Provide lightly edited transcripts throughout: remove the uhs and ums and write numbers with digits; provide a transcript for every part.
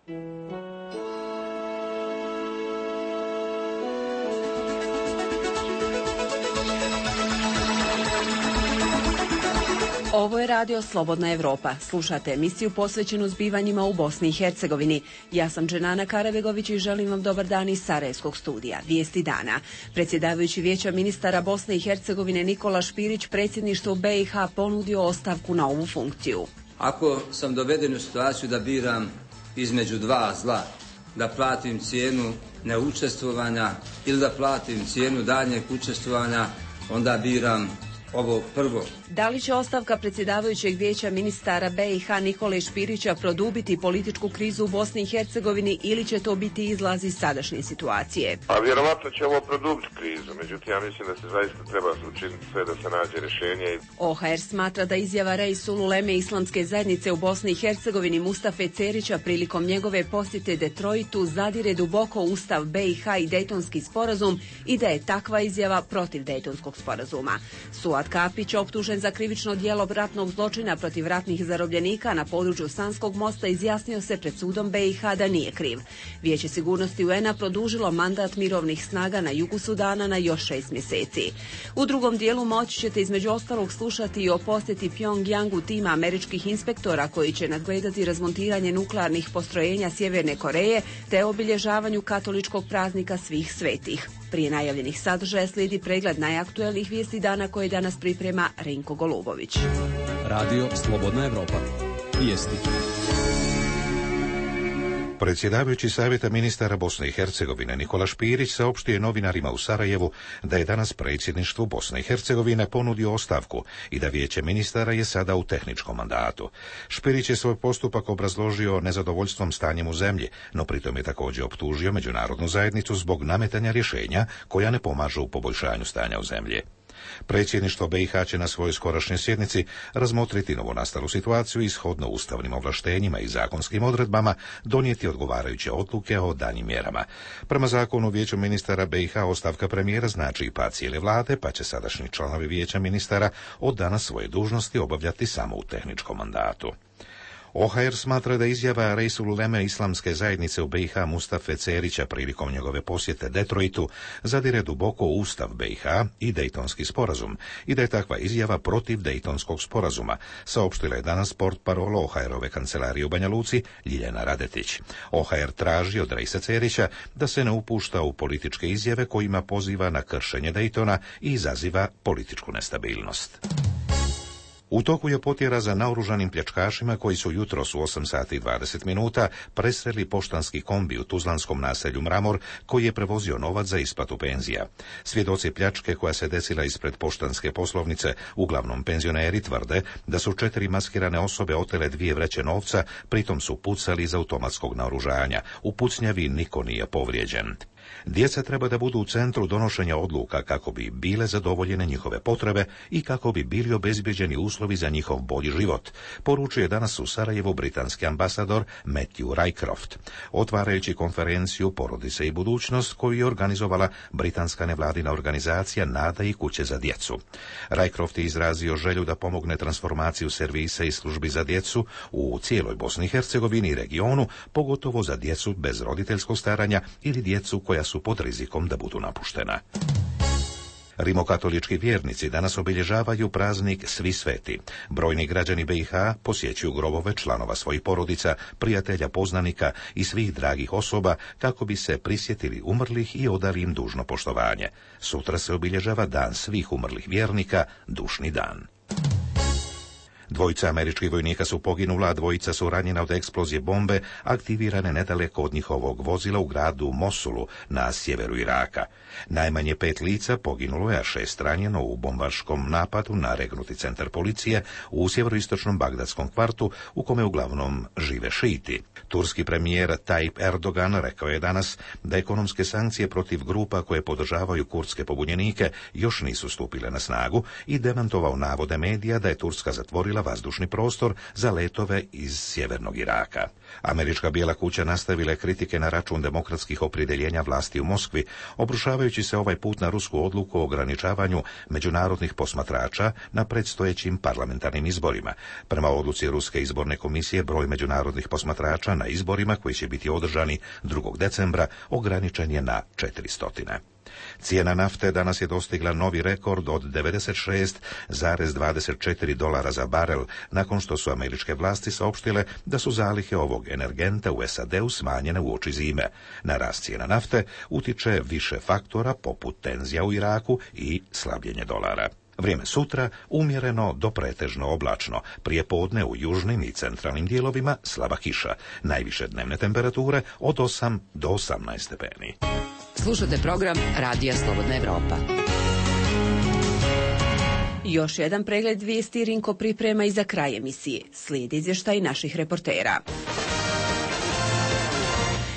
Ovo je radio Slobodna Evropa. Slušate emisiju posvećenu zbivanjima u Bosni i Hercegovini. Ja sam Dženana Karabegović i želim vam dobar dan iz Sarajevskog studija. Vijesti dana. Predsjedavajući Vijeća ministara Bosne i Hercegovine Nikola Špirić predsjedništvu BiH ponudio ostavku na ovu funkciju. Ako sam doveden u situaciju da biram između dva zla, da platim cijenu neučestvovanja ili da platim cijenu daljnjeg učestvovanja, onda biram ovo prvo. Da li će ostavka predsjedavajućeg Vijeća ministara BiH Nikole Špirića produbiti političku krizu u Bosni i Hercegovini ili će to biti izlaz iz sadašnje situacije? A vjerovatno će ovo produbiti krizu, međutim ja mislim da se zaista treba učiniti sve da se nađe rješenje. OHR smatra da izjava Reisulu Uleme Islamske zajednice u Bosni i Hercegovini Mustafe Cerića prilikom njegove posjete Detroitu zadire duboko u Ustav BiH i Dejtonski sporazum i da je takva izjava protiv Dejtonskog sporazuma. Suad Kapić, optužen za krivično djelo ratnog zločina protiv ratnih zarobljenika na području Sanskog mosta, izjasnio se pred sudom BiH da nije kriv. Vijeće sigurnosti UN-a produžilo mandat mirovnih snaga na jugu Sudana na još 6 mjeseci. U drugom dijelu moći ćete između ostalog slušati i o posjeti Pjongjangu tima američkih inspektora koji će nadgledati razmontiranje nuklearnih postrojenja Sjeverne Koreje te obilježavanju katoličkog praznika svih svetih. Prije najavljenih sadržaja slijedi pregled najaktuelnijih vijesti dana koje danas priprema Rinko Golubović. Radio Slobodna Evropa. Vijesti. Predsjedavajući Savjeta ministara Bosne i Hercegovine Nikola Špirić saopštio je novinarima u Sarajevu da je danas predsjedništvu Bosne i Hercegovine ponudio ostavku i da Vijeće ministara je sada u tehničkom mandatu. Špirić je svoj postupak obrazložio nezadovoljstvom stanjem u zemlji, no pritom je također optužio međunarodnu zajednicu zbog nametanja rješenja koja ne pomažu u poboljšanju stanja u zemlji. Predsjedništvo BiH će na svojoj skorašnjoj sjednici razmotriti novonastalu situaciju i shodno ustavnim ovlaštenjima i zakonskim odredbama donijeti odgovarajuće odluke o daljnjim mjerama. Prema zakonu Vijeću ministara BiH ostavka premijera znači i pad cijele vlade, pa će sadašnji članovi Vijeća ministara od danas svoje dužnosti obavljati samo u tehničkom mandatu. OHR smatra da izjava Reisulu Uleme Islamske zajednice u BiH Mustafe Cerića prilikom njegove posjete Detroitu zadire duboko u Ustav BiH i Dejtonski sporazum i da je takva izjava protiv Dejtonskog sporazuma, saopštila je danas portparol OHR-ove kancelarije u Banja Luci Ljiljana Radetić. OHR traži od Reisa Cerića da se ne upušta u političke izjave kojima poziva na kršenje Dejtona i izaziva političku nestabilnost. U toku je potjera za naoružanim pljačkašima koji su jutros u 8 sati i 20 minuta presreli poštanski kombi u tuzlanskom naselju Mramor koji je prevozio novac za isplatu penzija. Svjedoci pljačke koja se desila ispred poštanske poslovnice, uglavnom penzioneri, tvrde da su 4 maskirane osobe otele 2 vreće novca, pritom su pucali iz automatskog naoružanja. U pucnjavi niko nije povrijeđen. Djeca treba da budu u centru donošenja odluka kako bi bile zadovoljene njihove potrebe i kako bi bili obezbeđeni uslovi za njihov bolji život, poručuje danas u Sarajevu britanski ambasador Matthew Rycroft, otvarajući konferenciju Porodice i budućnost koju je organizovala britanska nevladina organizacija Nada i kuće za djecu. Rycroft je izrazio želju da pomogne transformaciju servisa i službi za djecu u cijeloj Bosni i Hercegovini i regionu, pogotovo za djecu bez roditeljskog staranja ili djecu koja su pod rizikom da budu napuštena. Rimokatolički vjernici danas obilježavaju praznik Svi sveti. Brojni građani BiH posjećuju grobove članova svojih porodica, prijatelja, poznanika i svih dragih osoba kako bi se prisjetili umrlih i odali im dužno poštovanje. Sutra se obilježava Dan svih umrlih vjernika, dušni dan. 2 američkih vojnika su poginula, a 2 su ranjena od eksplozije bombe aktivirane nedaleko od njihovog vozila u gradu Mosulu na sjeveru Iraka. Najmanje 5 lica poginulo je, a 6 ranjeno u bombaškom napadu na regnuti centar policije u sjeveroistočnom bagdadskom kvartu u kome uglavnom žive šiti. Turski premijer Tayyip Erdogan rekao je danas da ekonomske sankcije protiv grupa koje podržavaju kurdske pobunjenike još nisu stupile na snagu i demantovao navode medija da je Turska zatvorila vazdušni prostor za letove iz sjevernog Iraka. Američka Bijela kuća nastavila je kritike na račun demokratskih opredjeljenja vlasti u Moskvi, obrušavajući se ovaj put na rusku odluku o ograničavanju međunarodnih posmatrača na predstojećim parlamentarnim izborima. Prema odluci Ruske izborne komisije, broj međunarodnih posmatrača na izborima koji će biti održani 2. decembra ograničen je na 400. Cijena nafte danas je dostigla novi rekord od $96,24 za barel, nakon što su američke vlasti saopštile da su zalihe ovog energenta u SAD-u smanjene uoči zime. Na rast cijena nafte utiče više faktora poput tenzija u Iraku i slabljenje dolara. Vrijeme sutra umjereno do pretežno oblačno, prije podne u južnim i centralnim dijelovima slaba kiša. Najviše dnevne temperature od 8 do 18 stepeni. Slušate program Radija Slobodna Evropa. Još jedan pregled vijesti Rinko priprema i za kraj emisije. Slijedi izvještaj naših reportera.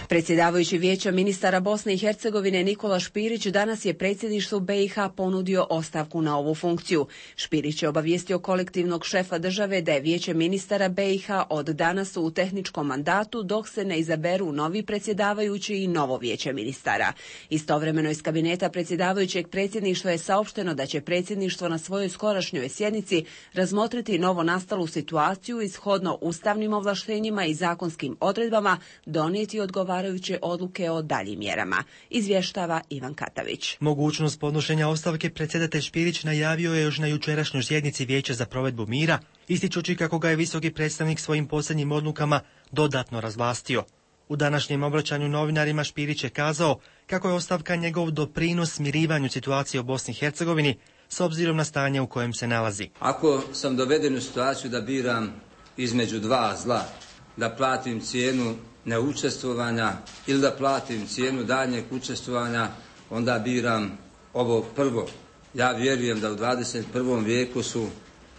Predsjedavajući Vijeća ministara Bosne i Hercegovine Nikola Špirić danas je predsjedništvu BiH ponudio ostavku na ovu funkciju. Špirić je obavijestio kolektivnog šefa države da je Vijeće ministara BiH od danas u tehničkom mandatu dok se ne izaberu novi predsjedavajući i novo Vijeće ministara. Istovremeno iz kabineta predsjedavajućeg predsjedništva je saopšteno da će predsjedništvo na svojoj skorašnjoj sjednici razmotriti novo nastalu situaciju i shodno ustavnim ovlaštenjima i zakonskim odredbama donijeti odgovarajuće odluke o daljim mjerama, izvještava Ivan Katavić. Mogućnost podnošenja ostavke predsjedatelj Špirić najavio je još na jučerašnjoj sjednici Vijeća za provedbu mira, ističući kako ga je visoki predstavnik svojim posljednjim odlukama dodatno razvlastio. U današnjem obraćanju novinarima Špirić je kazao kako je ostavka njegov doprinos smirivanju situacije u Bosni i Hercegovini s obzirom na stanje u kojem se nalazi. Ako sam doveden u situaciju da biram između dva zla, da platim cijenu neučestvovanja ili da platim cijenu daljnjeg učestvovanja, onda biram ovo prvo. Ja vjerujem da u 21. vijeku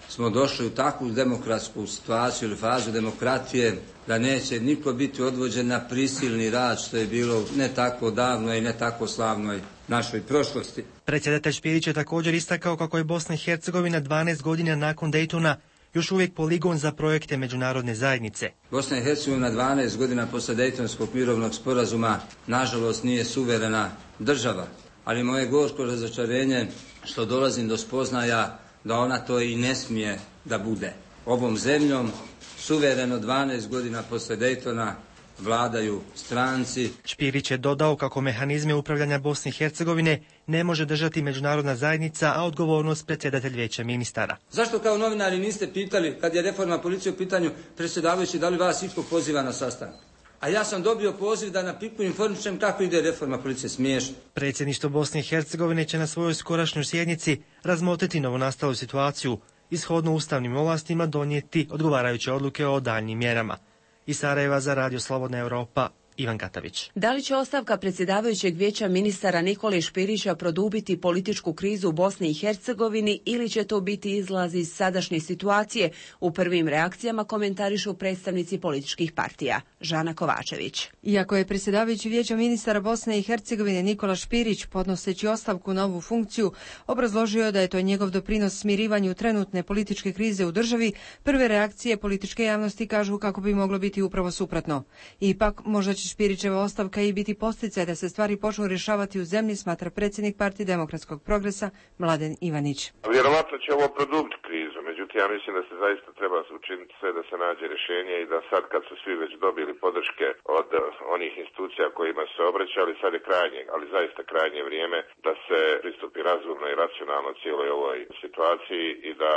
smo došli u takvu demokratsku situaciju ili fazu demokratije da neće niko biti odvođen na prisilni rad, što je bilo ne tako davno i ne tako slavnoj našoj prošlosti. Predsjedatelj Špirić je također istakao kako je Bosna i Hercegovina 12 godina nakon Daytona još uvijek poligon za projekte međunarodne zajednice. Bosna i Hercegovina 12 godina posle Dejtonskog mirovnog sporazuma nažalost nije suverena država, ali moje gorko razočarenje što dolazim do spoznaja da ona to i ne smije da bude. Ovom zemljom suvereno 12 godina posle Dejtona vladaju stranci. Špirić je dodao kako mehanizme upravljanja Bosne i Hercegovine ne može držati međunarodna zajednica, a odgovornost predsjedatelj Vijeća ministara. Zašto kao novinari niste pitali, kad je reforma policije u pitanju, predsjedavajući, da li vas itko poziva na sastanak? A ja sam dobio poziv da na Piku informišem kako ide reforma policije. Smiješno. Predsjedništvo Bosne i Hercegovine će na svojoj skorašnjoj sjednici razmotriti novonastalu situaciju i shodno ustavnim ovlastima donijeti odgovarajuće odluke o daljnjim mjerama. Iz Sarajeva za Radio Slobodna Evropa, Ivan Katavić. Da li će ostavka predsjedavajućeg Vijeća ministara Nikole Špirića produbiti političku krizu u Bosni i Hercegovini ili će to biti izlaz iz sadašnje situacije? U prvim reakcijama komentarišu predstavnici političkih partija. Žana Kovačević. Iako je predsjedavajući Vijeća ministara Bosne i Hercegovine Nikola Špirić, podnoseći ostavku na ovu funkciju, obrazložio da je to njegov doprinos smirivanju trenutne političke krize u državi, prve reakcije političke javnosti kažu kako bi moglo biti upravo suprotno. Ipak, možda će Špirićeva ostavka i biti posticaj da se stvari počnu rješavati u zemlji, smatra predsjednik Partije demokratskog progresa Mladen Ivanić. Vjerovatno će ovo produbiti krizu, međutim ja mislim da se zaista treba učiniti sve da se nađe rješenje i da sad kad su svi već dobili podrške od onih institucija kojima se obraćali, sad je krajnje, ali zaista krajnje vrijeme da se pristupi razumno i racionalno cijeloj ovoj situaciji i da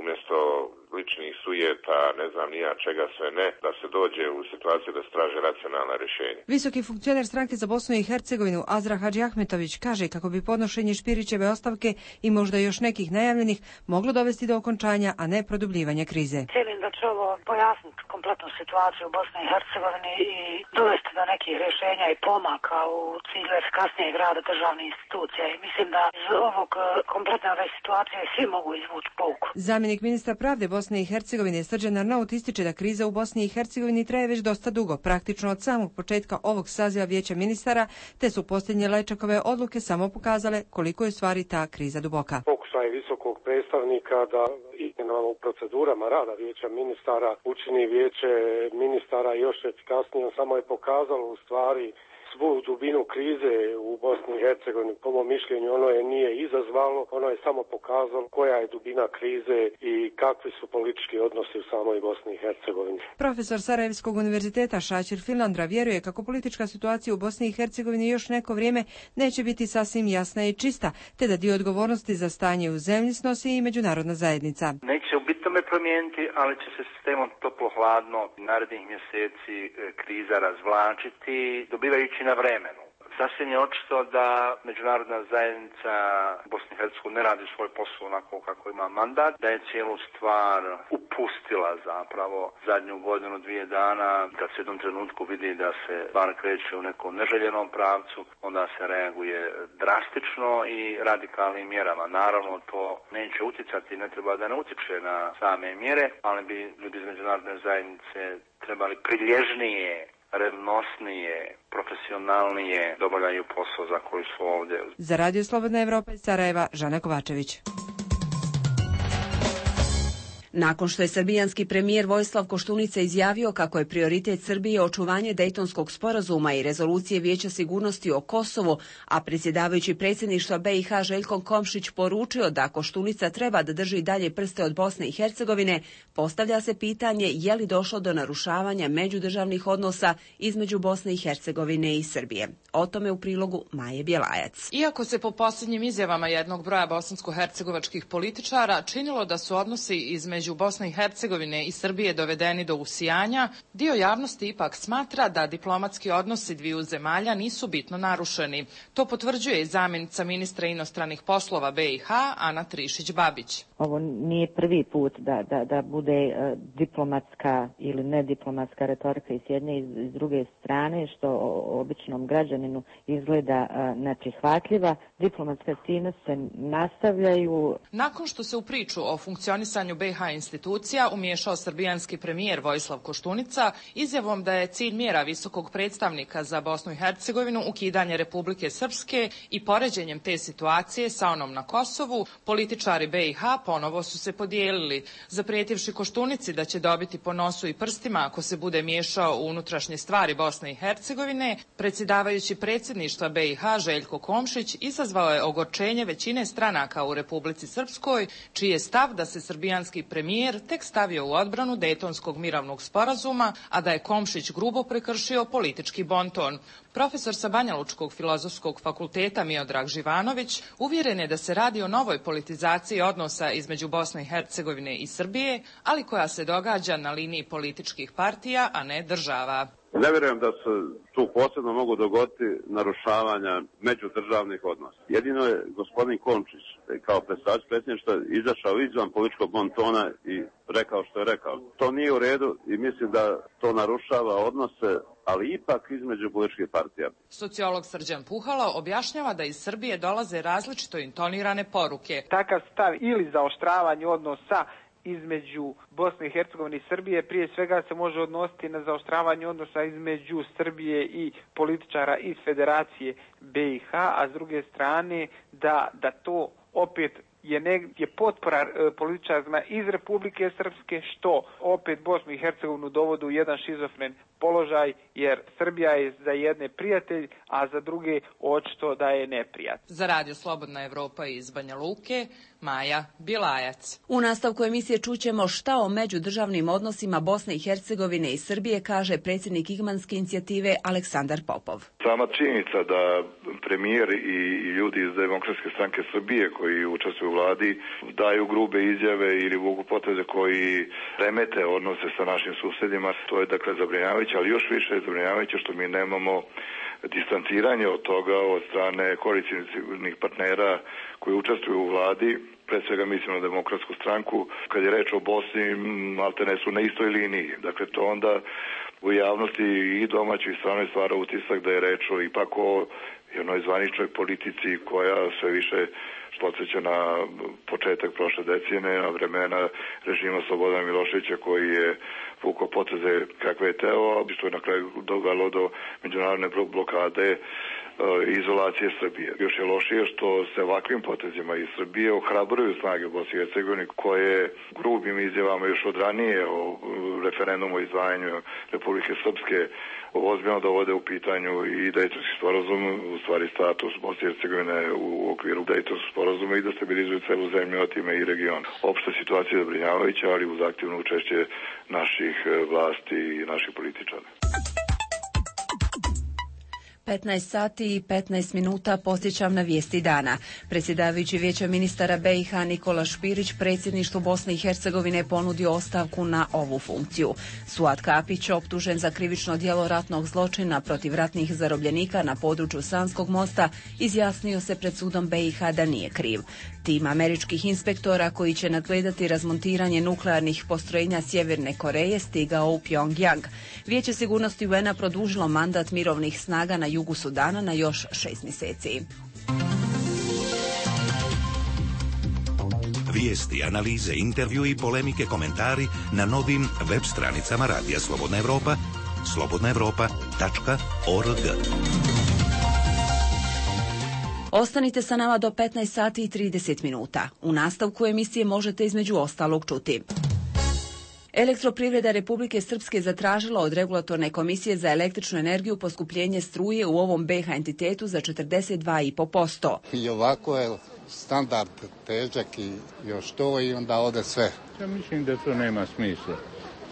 umjesto ličnih sujeta, ne znam ni ja čega sve ne, da se dođe u situaciju da se traže racionalna rješenja. Visoki funkcioner stranke za Bosnu i Hercegovinu Azra Hadžiahmetović kaže kako bi podnošenje Špirićeve ostavke i možda još nekih najavljenih moglo dovesti do okončanja, a ne produbljivanja krize. Cijelim da će ovo pojasniti kompletnu situaciju u Bosni i Hercegovini i dovesti do nekih rješenja i pomaka u cilju efikasnijeg rada državnih institucija. I mislim da iz ovog kompletne ove situacije svi mogu izvući pouku. Zamjenik ministra pravde Bosne i Hercegovine Srđan Arnaut ističe da kriza u Bosni i Hercegovini traje već dosta dugo, praktično od samog početka ovog saziva Vijeća ministara, te su posljednje Lajčakove odluke samo pokazale koliko je stvari ta kriza duboka. Pokušaj visokog predstavnika da izmjenama u procedurama rada vijeća ministara učini vijeće ministara još efikasnijom. Samo je pokazalo u stvari svu dubinu krize u Bosni i Hercegovini. Po mom mišljenju ono je nije izazvalo, ono je samo pokazalo koja je dubina krize i kakvi su politički odnosi u samoj Bosni i Hercegovini. Profesor Sarajevskog univerziteta Šačir Filandra vjeruje kako politička situacija u Bosni i Hercegovini još neko vrijeme neće biti sasvim jasna i čista, te da dio odgovornosti za stanje u zemlji snosi i međunarodna zajednica. Neće u bitome promijeniti, ali će se sistemom toplo-hladno narednih mjeseci kriza razvlačiti, dobivajući na vremenu. Sasvim je očito da međunarodna zajednica Bosne i Hercegovine ne radi svoj posao onako kako ima mandat, da je cijelu stvar upustila zapravo zadnju godinu, 2 dana, kad se u jednom trenutku vidi da se stvar kreće u nekom neželjenom pravcu, onda se reaguje drastično i radikalnim mjerama. Naravno to neće utjecati, ne treba da ne utječe na same mjere, ali bi ljudi iz međunarodne zajednice trebali prilježnije, revnosnije, profesionalnije da obavljaju posao za koji su ovdje. Za Radio Slobodna Evropa iz Sarajeva, Žana Kovačević. Nakon što je srbijanski premijer Vojislav Koštunica izjavio kako je prioritet Srbije očuvanje Dejtonskog sporazuma i rezolucije Vijeća sigurnosti o Kosovu, a predsjedavajući predsjedništva BiH Željko Komšić poručio da Koštunica treba da drži dalje prste od Bosne i Hercegovine, postavlja se pitanje je li došlo do narušavanja međudržavnih odnosa između Bosne i Hercegovine i Srbije. O tome u prilogu Maje Bjelajac. Iako se po posljednjim izjavama jednog broja bosansko-hercegovačkih političara činilo da su odnosi između Bosne i Hercegovine i Srbije dovedeni do usijanja, dio javnosti ipak smatra da diplomatski odnosi dviju zemalja nisu bitno narušeni. To potvrđuje i zamjenica ministra inostranih poslova BiH Ana Trišić-Babić. Ovo nije prvi put da bude diplomatska ili nediplomatska retorika i s jedne i s druge strane, što običnom građaninu izgleda neprihvatljiva. Diplomatske aktivnosti se nastavljaju. Nakon što se u priču o funkcionisanju BiH institucija umiješao srbijanski premijer Vojislav Koštunica izjavom da je cilj mjera visokog predstavnika za Bosnu i Hercegovinu ukidanje Republike Srpske i poređenjem te situacije sa onom na Kosovu, političari BiH ponovo su se podijelili, zaprijetivši Koštunici da će dobiti po nosu i prstima ako se bude miješao u unutrašnje stvari Bosne i Hercegovine. Predsjedavajući predsjedništva BiH Željko Komšić izazvao je ogorčenje većine stranaka u Republici Srpskoj, čiji je stav da se srbijanski premijer tek stavio u odbranu Dejtonskog mirovnog sporazuma, a da je Komšić grubo prekršio politički bonton. Profesor sa Banjalučkog filozofskog fakulteta Miodrag Živanović uvjeren je da se radi o novoj politizaciji odnosa između Bosne i Hercegovine i Srbije, ali koja se događa na liniji političkih partija, a ne država. Ne vjerujem da se tu posebno mogu dogoditi narušavanja međudržavnih odnosa. Jedino je gospodin Komšić kao predstavljač predsjedništva izašao izvan političkog bontona i rekao što je rekao. To nije u redu i mislim da to narušava odnose, ali ipak između političkih partija. Sociolog Srđan Puhalo objašnjava da iz Srbije dolaze različito intonirane poruke. Takav stav ili zaoštravanje odnosa između Bosne i Hercegovine i Srbije prije svega se može odnositi na zaoštravanje odnosa između Srbije i političara iz Federacije BiH, a s druge strane da to opet je potpora političarima iz Republike Srpske, što opet Bosnu i Hercegovinu dovodi u jedan šizofren položaj, jer Srbija je za jedne prijatelj, a za druge očito da je neprijatelj. Za Radio Slobodna Evropa iz Banja Luke, Maja Bjelajac. U nastavku emisije čućemo šta o međudržavnim odnosima Bosne i Hercegovine i Srbije kaže predsjednik Igmanske inicijative Aleksandar Popov. Sama činjenica da premijer i ljudi iz Demokratske stranke Srbije koji učestvuju u vladi daju grube izjave ili vuku poteze koji remete odnose sa našim susjedima, to je dakle zabrinjavajuće, ali još više je zabrinjavajuće što mi nemamo distanciranje od toga od strane koalicijskih partnera koji učestvuju u vladi. Pre svega mislim na Demokratsku stranku. Kad je reč o Bosni, maltene su na istoj liniji. Dakle, to onda u javnosti i domaćoj i stranoj stvara utisak da je reč o ipak o jednoj zvaničnoj politici koja sve više podsjeća na početak prošle decenije, na vremena režima Slobodana Miloševića koji je vukao poteze kakve je teo, što je na kraju dovelo do međunarodne blokade izolacije Srbije. Još je lošije što se ovakvim potezima iz Srbije ohrabruju snage u Bosni i Hercegovini koje grubim izjavama još od ranije o referendumu o izdvajanju Republike Srpske ozbiljno dovode u pitanju i Dejtonski sporazum, u stvari status Bosne i Hercegovine u okviru Dejtonskog sporazuma i destabilizuju celu zemlju, a time i region. Opšta situacija je zabrinjavajuća, ali uz aktivno učešće naših vlasti i naših političara. 15 sati i 15 minuta podsjećam na vijesti dana. Predsjedavajući Vijeća ministara BiH Nikola Špirić predsjedništvu Bosne i Hercegovine ponudio ostavku na ovu funkciju. Suad Kapić, optužen za krivično djelo ratnog zločina protiv ratnih zarobljenika na području Sanskog mosta, izjasnio se pred sudom BiH da nije kriv. Tim američkih inspektora koji će nadgledati razmontiranje nuklearnih postrojenja Sjeverne Koreje stigao u Pyongyang. Vijeće sigurnosti UN-a produžilo mandat mirovnih snaga na jugu Sudana na još 6 mjeseci. Vijesti, analize, intervju i polemike, komentari na novim web stranicama Radija Slobodna Evropa, slobodnaevropa.org. Ostanite sa nama do 15 sati i 30 minuta. U nastavku emisije možete između ostalog čuti. Elektroprivreda Republike Srpske zatražila od Regulatorne komisije za električnu energiju poskupljenje struje u ovom BiH entitetu za 42,5%. I ovako je standard težak i još to i onda ode sve. Ja mislim da to nema smisla.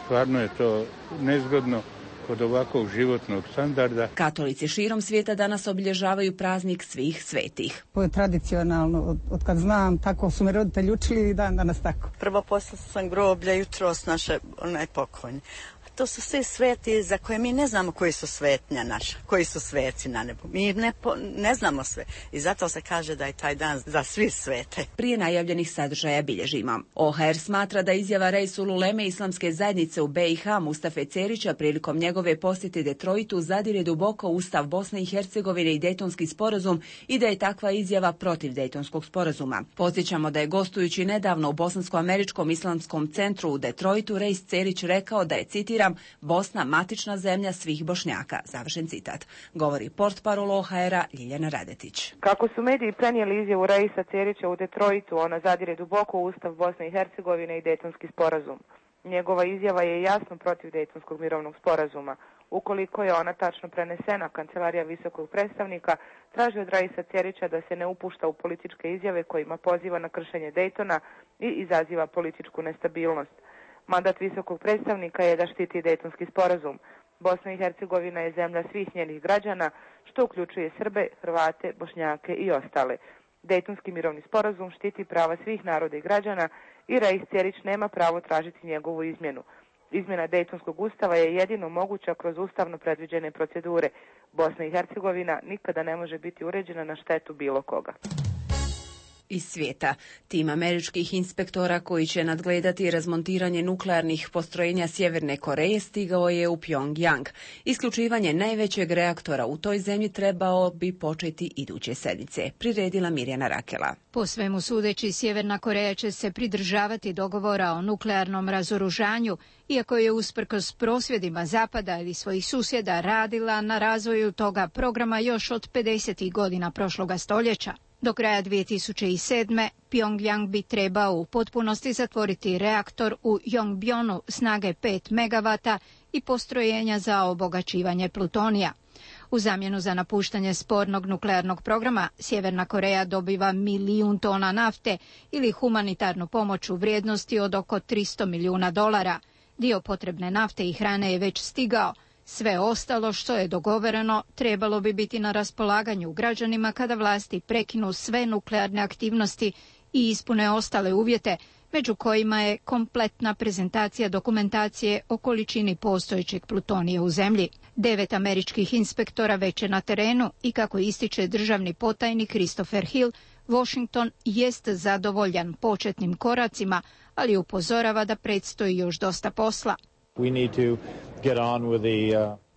Stvarno je to nezgodno kod ovakvog životnog standarda. Katolici širom svijeta danas obilježavaju praznik svih svetih. To je tradicionalno, od kad znam, tako su me roditelji učili i dan danas tako. Prvo poslala sam groblja jutros naše pokojni. To su svi sveti za koje mi ne znamo koji su svetnja naša, koji su sveci na nebu. Mi ne znamo sve i zato se kaže da je taj dan za svi svete. Prije najavljenih sadržaja bilježimo. OHR smatra da izjava Reisul Uleme islamske zajednice u BiH Mustafe Cerića prilikom njegove posjete Detroitu zadire duboko u Ustav Bosne i Hercegovine i Dejtonski sporazum i da je takva izjava protiv Dejtonskog sporazuma. Podsjećamo da je gostujući nedavno u Bosansko-američkom islamskom centru u Detroitu Reis Cerić rekao da je, citiram, Bosna matična zemlja svih Bošnjaka. Završen citat. Govori portparol OHR-a Ljiljana Radetić. Kako su mediji prenijeli izjavu Reisa Cerića u Detroitu, ona zadire duboko u Ustav Bosne i Hercegovine i Dejtonski sporazum. Njegova izjava je jasno protiv Dejtonskog mirovnog sporazuma. Ukoliko je ona tačno prenesena, Kancelarija visokog predstavnika traži od Reisa Cerića da se ne upušta u političke izjave kojima poziva na kršenje Dejtona i izaziva političku nestabilnost. Mandat visokog predstavnika je da štiti Dejtonski sporazum. Bosna i Hercegovina je zemlja svih njenih građana, što uključuje Srbe, Hrvate, Bošnjake i ostale. Dejtonski mirovni sporazum štiti prava svih naroda i građana i Reis Cerić nema pravo tražiti njegovu izmjenu. Izmjena Dejtonskog ustava je jedino moguća kroz ustavno predviđene procedure. Bosna i Hercegovina nikada ne može biti uređena na štetu bilo koga. Iz svijeta. Tim američkih inspektora koji će nadgledati razmontiranje nuklearnih postrojenja Sjeverne Koreje stigao je u Pyongyang. Isključivanje najvećeg reaktora u toj zemlji trebao bi početi iduće sedmice, priredila Mirjana Rakela. Po svemu sudeći, Sjeverna Koreja će se pridržavati dogovora o nuklearnom razoružanju, iako je usprkos prosvjedima Zapada ili svojih susjeda radila na razvoju toga programa još od 50. godina prošloga stoljeća. Do kraja 2007. Pyongyang bi trebao u potpunosti zatvoriti reaktor u Yongbyon snage 5 MW i postrojenja za obogaćivanje plutonija. U zamjenu za napuštanje spornog nuklearnog programa, Sjeverna Koreja dobiva 1 milijun tona nafte ili humanitarnu pomoć u vrijednosti od oko $300 milijuna. Dio potrebne nafte i hrane je već stigao. Sve ostalo što je dogovoreno trebalo bi biti na raspolaganju građanima kada vlasti prekinu sve nuklearne aktivnosti i ispune ostale uvjete, među kojima je kompletna prezentacija dokumentacije o količini postojećeg plutonija u zemlji. 9 američkih inspektora već je na terenu i kako ističe državni potajnik Christopher Hill, Washington jest zadovoljan početnim koracima, ali upozorava da predstoji još dosta posla.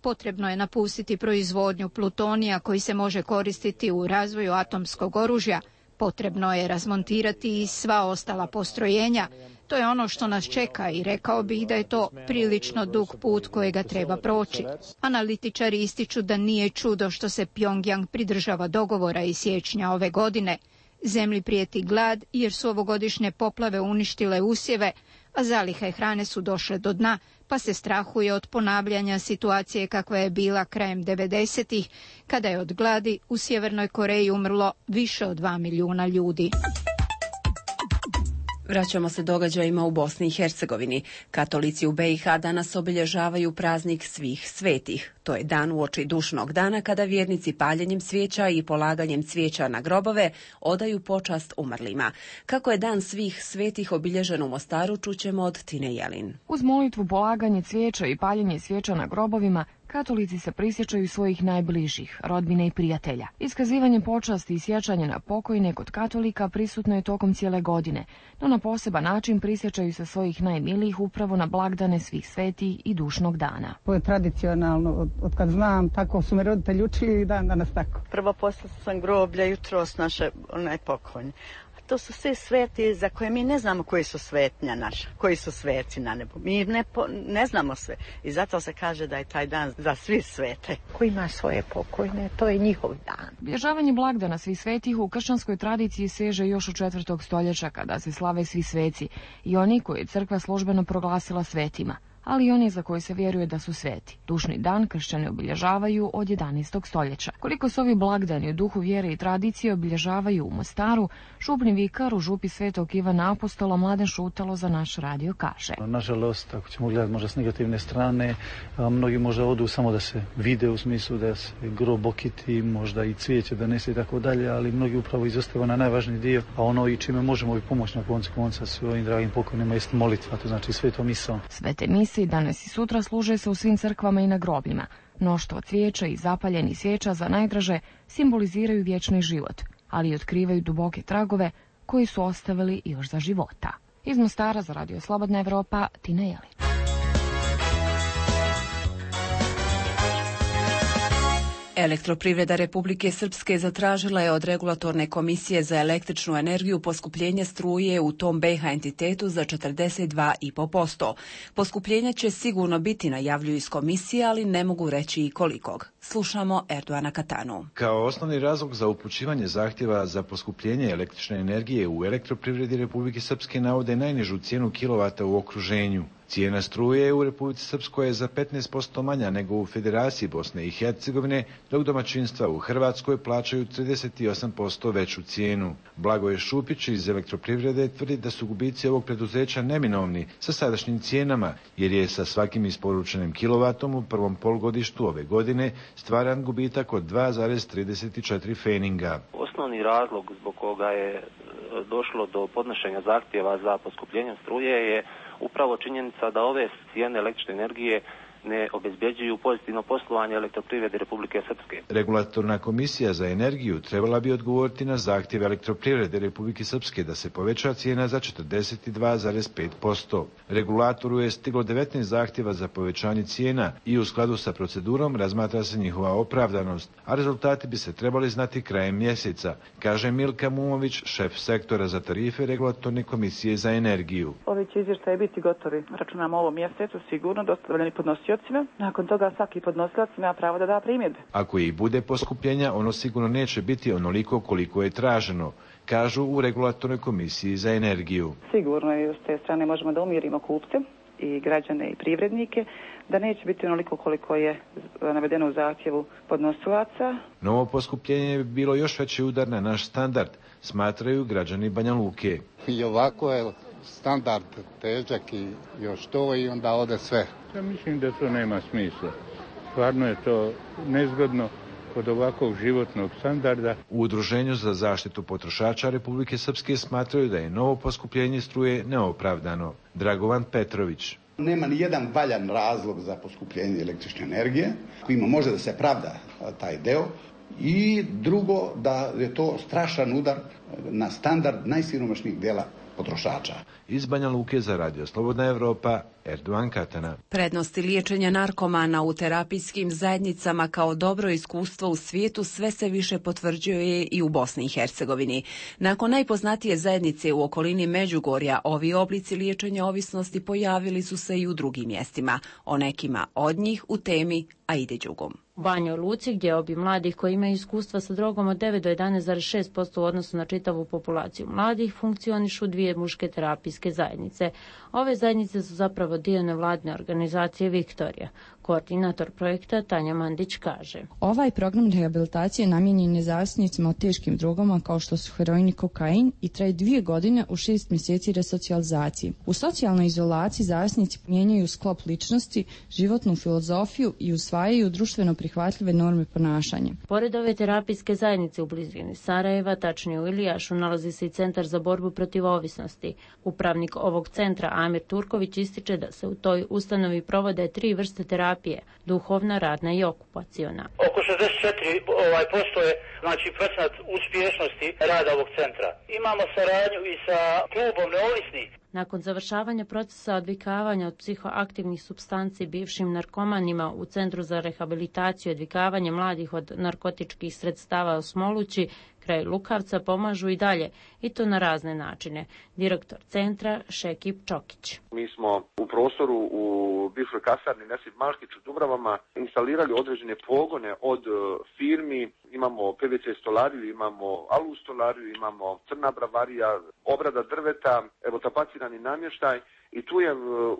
Potrebno je napustiti proizvodnju plutonija koji se može koristiti u razvoju atomskog oružja. Potrebno je razmontirati i sva ostala postrojenja. To je ono što nas čeka i rekao bih da je to prilično dug put kojega treba proći. Analitičari ističu da nije čudo što se Pjongjang pridržava dogovora iz siječnja ove godine. Zemlji prijeti glad jer su ovogodišnje poplave uništile usjeve, a zalihe hrane su došle do dna, pa se strahuje od ponavljanja situacije kakva je bila krajem 90-ih, kada je od gladi u Sjevernoj Koreji umrlo više od 2 milijuna ljudi. Vraćamo se događajima u Bosni i Hercegovini. Katolici u BiH danas obilježavaju praznik svih svetih. To je dan uoči dušnog dana kada vjernici paljenjem svijeća i polaganjem cvijeća na grobove odaju počast umrlima. Kako je dan svih svetih obilježen u Mostaru, čućemo od Tine Jelin. Uz molitvu, polaganje cvijeća i paljenje svijeća na grobovima, katolici se prisjećaju svojih najbližih, rodbine i prijatelja. Iskazivanje počasti i sjećanje na pokojne kod katolika prisutno je tokom cijele godine, no na poseban način prisjećaju se svojih najmilijih upravo na blagdane svih svetih i dušnog dana. To je tradicionalno, od kad znam, tako su me roditelji učili i dan danas tako. Prvo poslala sam groblja jutros naše pokojne. To su sve sveti za koje mi ne znamo koji su svetnja naša, koji su sveci na nebu. Mi ne znamo sve i zato se kaže da je taj dan za svi svete. Ko ima svoje pokojne, to je njihov dan. Obilježavanje blagdana svih svetih u kršćanskoj tradiciji seže još od 4. stoljeća kada se slave svi sveci i oni koje je crkva službeno proglasila svetima, ali i oni za koje se vjeruje da su sveti. Dušni dan kršćani obilježavaju od 11. stoljeća. Koliko se ovi blagdani u duhu vjere i tradicije obilježavaju u Mostaru, župni vikar u župi Svetog Ivana Apostola Mladen Šutalo za naš radio kaže. Nažalost, ako ćemo gledati možda s negativne strane, mnogi možda odu samo da se vide u smislu da se grob okiti, možda i cvijeće donese i tako dalje, ali mnogi upravo izostava na najvažniji dio, a ono i čime možemo i pomoći na koncu konca svojim dragim pokojnima jest molitva, to znači svetom misom. Svete mise i danas i sutra služe se u svim crkvama i na grobljima. Mnoštvo cvijeća i zapaljenih svijeća za najdraže simboliziraju vječni život, ali i otkrivaju duboke tragove koji su ostavili još za života. Iz Mostara za Radio Slobodna Evropa, Tina Jelin. Elektroprivreda Republike Srpske zatražila je od Regulatorne komisije za električnu energiju poskupljenje struje u tom BiH entitetu za 42,5%. Poskupljenje će sigurno biti, najavljuju iz komisije, ali ne mogu reći i kolikog. Slušamo Erdoana Katanu. Kao osnovni razlog za upućivanje zahtjeva za poskupljenje električne energije u Elektroprivredi Republike Srpske navode najnižu cijenu kilovata u okruženju. Cijena struje u Republici Srpskoj je za 15% manja nego u Federaciji Bosne i Hercegovine, dok domaćinstva u Hrvatskoj plaćaju 38% veću cijenu. Blagoje Šupić iz Elektroprivrede tvrdi da su gubici ovog preduzeća neminovni sa sadašnjim cijenama, jer je sa svakim isporučenim kilovatom u prvom polugodištu ove godine stvaran gubitak od 2,34 feninga. Osnovni razlog zbog koga je došlo do podnošenja zahtjeva za poskupljenjem struje je upravo činjenica da ove cijene električne energije ne obezbjeđuju pozitivno poslovanje Elektroprivrede Republike Srpske. Regulatorna komisija za energiju trebala bi odgovoriti na zahtjeve Elektroprivrede Republike Srpske da se poveća cijena za 42,5%. Regulatoru je stiglo 19 zahtjeva za povećanje cijena i u skladu sa procedurom razmatra se njihova opravdanost, a rezultati bi se trebali znati krajem mjeseca, kaže Milka Mumović, šef sektora za tarife Regulatorne komisije za energiju. Ovi će izvještaji biti gotovi, računamo ovom mjesecu, sigurno dostavljeni podnosiocima. Nakon toga svaki podnosilac ima pravo da da primjedbe. Ako i bude poskupljenja, ono sigurno neće biti onoliko koliko je traženo, kažu u Regulatornoj komisiji za energiju. Sigurno je s te strane možemo da umirimo kupce i građane i privrednike, da neće biti onoliko koliko je navedeno u zahtjevu podnosilaca. Novo poskupljenje bi bilo još veći udar na naš standard, smatraju građani Banja Luke. I ovako je standard težak i još to i onda ode sve. Ja mislim da to nema smisla. Stvarno je to nezgodno kod ovakvog životnog standarda. U Udruženju za zaštitu potrošača Republike Srpske smatraju da je novo poskupljenje struje neopravdano. Dragovan Petrović. Nema ni jedan valjan razlog za poskupljenje električne energije, kojima može da se pravda taj deo. I drugo, da je to strašan udar na standard najsiromašnijih dela potrošača. Iz Banja Luke za Radio Slobodna Evropa, Erdogan Katana. Prednosti liječenja narkomana u terapijskim zajednicama kao dobro iskustvo u svijetu sve se više potvrđuje i u Bosni i Hercegovini. Nakon najpoznatije zajednice u okolini Međugorja, ovi oblici liječenja ovisnosti pojavili su se i u drugim mjestima. O nekima od njih u temi Aide Đugum. U Banjoj Luci, gdje obi mladih koji imaju iskustva sa drogom od 9 do 11,6% u odnosu na čitavu populaciju mladih, funkcionišu dvije muške terapijske zajednice. Ove zajednice su zapravo dio nevladine organizacije Viktorija. Koordinator projekta Tanja Mandić kaže: Ovaj program rehabilitacije namijenjen je zavisnicima od teškim drogama kao što su heroin i kokain i traje 2 godine u 6 mjeseci resocijalizacije. U socijalnoj izolaciji zavisnici mijenjaju sklop ličnosti, životnu filozofiju i usvajaju društveno prihvatljive norme ponašanja. Pored ove terapijske zajednice u blizini Sarajeva, tačnije u Ilijašu, nalazi se i Centar za borbu protiv ovisnosti. Upravnik ovog centra, Amir Turković, ističe da se u toj ustanovi provode 3 vrste terapije: duhovna, radna i okupaciona. Oko 64% je procenat uspješnosti rada ovog centra. Imamo saradnju i sa klubom neovisnih. Nakon završavanja procesa odvikavanja od psihoaktivnih supstanci bivšim narkomanima u Centru za rehabilitaciju i odvikavanje mladih od narkotičkih sredstava u Smolući, kraj Lukavca, pomažu i dalje, i to na razne načine. Direktor centra Šekip Čokić. Mi smo u prostoru u bivšoj kasarni Nesip Malkić u Dubravama instalirali određene pogone od firmi. Imamo PVC stolariju, imamo alu stolariju, imamo crna bravarija, obrada drveta, evo tapacirani namještaj. I tu je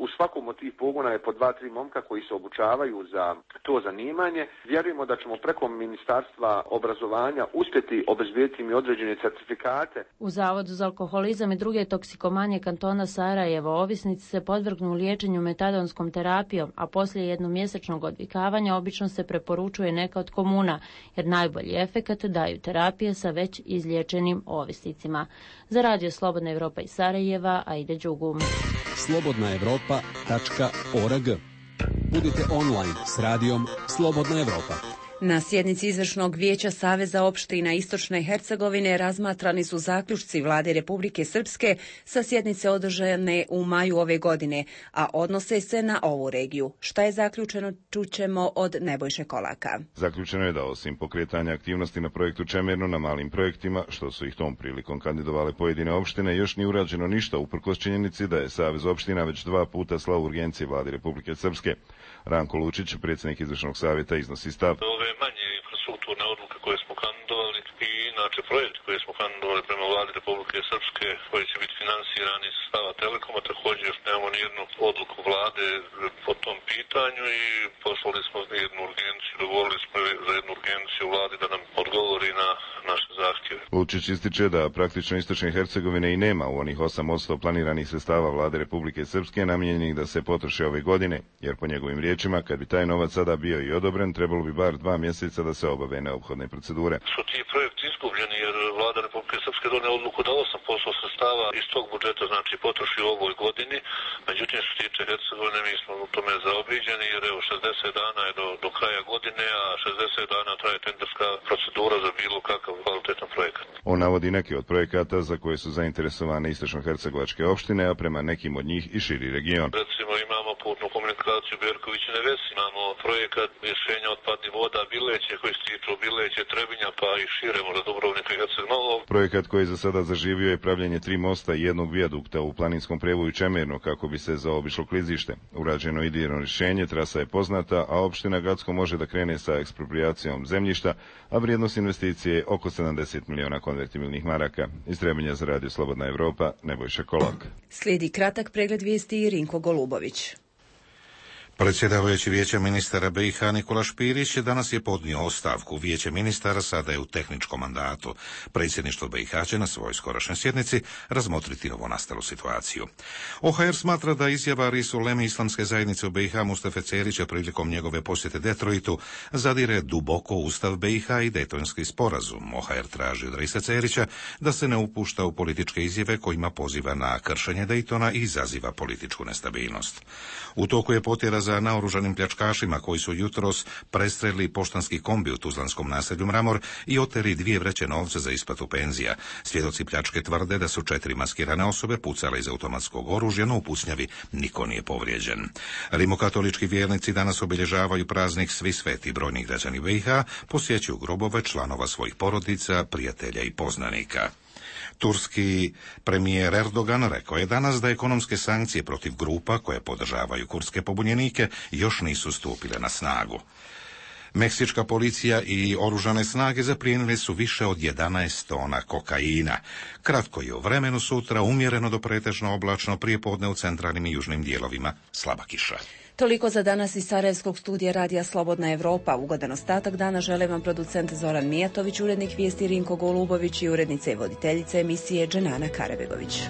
u svakom od tih pogona je po 2-3 momka koji se obučavaju za to zanimanje. Vjerujemo da ćemo preko Ministarstva obrazovanja uspjeti obezbijediti im određene certifikate. U Zavodu za alkoholizam i druge toksikomanije kantona Sarajevo ovisnici se podvrgnu liječenju metadonskom terapijom, a poslije jednomjesečnog odvikavanja obično se preporučuje neka od komuna, jer najbolji efekat daju terapije sa već izliječenim ovisnicima. Za Radio Slobodna Evropa iz Sarajeva, Aide Đugum. slobodnaevropa.org. Budite online s radijom Slobodna Evropa. Na sjednici Izvršnog vijeća Saveza opština Istočne Hercegovine razmatrani su zaključci Vlade Republike Srpske sa sjednice održane u maju ove godine, a odnose se na ovu regiju. Šta je zaključeno, čućemo od Nebojše Kolaka. Zaključeno je da osim pokretanja aktivnosti na projektu Čemerno na malim projektima, što su ih tom prilikom kandidovale pojedine opštine, još nije urađeno ništa uprkos činjenici da je Savez opština već 2 puta slao urgencije Vlade Republike Srpske. Ranko Lučić, predsjednik Izvršnog savjeta, iznosi stav. Ove manje infrastrukturne odluke koje smo kandidovali i inače projekti koje smo kandidovali prema Vladi Republike Srpske koji će biti finansirani iz sredstava Telekoma, također još nemamo nijednu odluku Vlade po tom pitanju i poslali smo jednu urgenciju, dogovorili smo za jednu urgenciju Vladi da nam odgovori na naše zahtjeve. Lučić ističe da praktično Istočne Hercegovine i nema u onih 8% planiranih sredstava Vlade Republike Srpske namijenjenih da se potroše ove godine, jer po njegovim riječima, kad bi taj novac sada bio i odobren, trebalo bi bar 2 mjeseca da se obave neophodne procedure. Su ti projekti izgubljeni jer Vlada Republike Srpske donijela odluku da 8% sredstava iz tog budžeta znači potroši u ovoj godini, međutim što se tiče Hercegovine mi smo u tome zaobiđeni jer evo 60 dana je do kraja godine, a 60 dana traje tenderska procedura za bilo kakav kvalitetan projekat. On navodi neke od projekata za koje su zainteresovane istočno-hercegovačke opštine, a prema nekim od njih i širi region. Recimo imamo putnu komunikaciju Berković i Neves, imamo projekat rješenja otpadnih voda Bileće koji se tiču Bileće, Trebinja pa i šire možda Dubrovnika i Herceg-Novog. Projekat koji za sada zaživio je pravljenje 3 mosta i 1 vijadukta u planinskom prevoju Čemerno kako bi se zaobišlo klizište. Urađeno idejno rješenje, trasa je poznata, a opština Gacko može da krene sa ekspropriacijom zemljišta, a vrijednost investicije je oko 70 miliona konvertibilnih maraka. Iz Trebinja za Radio Slobodna Evropa, Nebojša Kolak. Slijedi kratak pregled vijesti i Rinko Golubović. Predsjedavajući Vijeća ministara BiH Nikola Špirić danas je podnio ostavku. Vijeće ministara sada je u tehničkom mandatu. Predsjedništvo BiH će na svojoj skorašnjoj sjednici razmotriti novonastalu situaciju. OHR smatra da izjava Risu Leme islamske zajednice u BiH Mustafe Cerića prilikom njegove posjete Detroitu zadire duboko u Ustav BiH i Dejtonski sporazum. OHR traži od Risa Cerića da se ne upušta u političke izjave kojima poziva na kršenje Dejtona i izaziva političku nestabilnost. U toku je potjera dokaza naoružanim pljačkašima koji su jutros prestrelili poštanski kombi u tuzlanskom naselju Mramor i oteli 2 vreće novca za isplatu penzija. Svjedoci pljačke tvrde da su 4 maskirane osobe pucale iz automatskog oružja, no u pucnjavi niko nije povrijeđen. Rimokatolički vjernici danas obilježavaju praznik Svi sveti. Brojni građani BiH posjećuju grobove članova svojih porodica, prijatelja i poznanika. Turski premijer Erdogan rekao je danas da ekonomske sankcije protiv grupa koje podržavaju kurdske pobunjenike još nisu stupile na snagu. Meksička policija i oružane snage zaplijenile su više od 11 tona kokaina. Kratko je u vremenu sutra, umjereno do pretežno oblačno, prijepodne u centralnim i južnim dijelovima slaba kiša. Toliko za danas iz Sarajevskog studija Radija Slobodna Evropa. Ugodan ostatak dana žele vam producent Zoran Mijatović, urednik vijesti Rinko Golubović i urednica i voditeljica emisije Dženana Karabegović.